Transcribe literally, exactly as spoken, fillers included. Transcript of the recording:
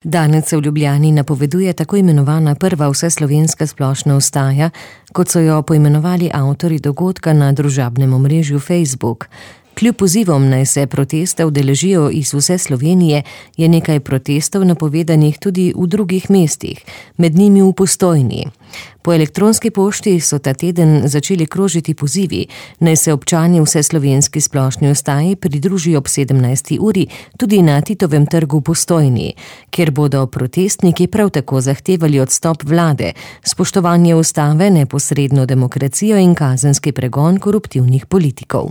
Danes se v Ljubljani napoveduje tako imenovana prva vseslovenska splošna vstaja, kot so jo poimenovali avtorji dogodka na družabnem omrežju Facebook. Kljub pozivom, naj se protesta udeležijo iz vse Slovenije, je nekaj protestov napovedanih tudi v drugih mestih, med njimi v Postojni. Po elektronski pošti so ta teden začeli krožiti pozivi, naj se občani vseslovenski splošni vstaji pridružijo ob sedemnajsti uri tudi na Titovem trgu v Postojni, kjer bodo protestniki prav tako zahtevali odstop vlade, spoštovanje ustave, neposredno demokracijo in kazenski pregon koruptivnih politikov.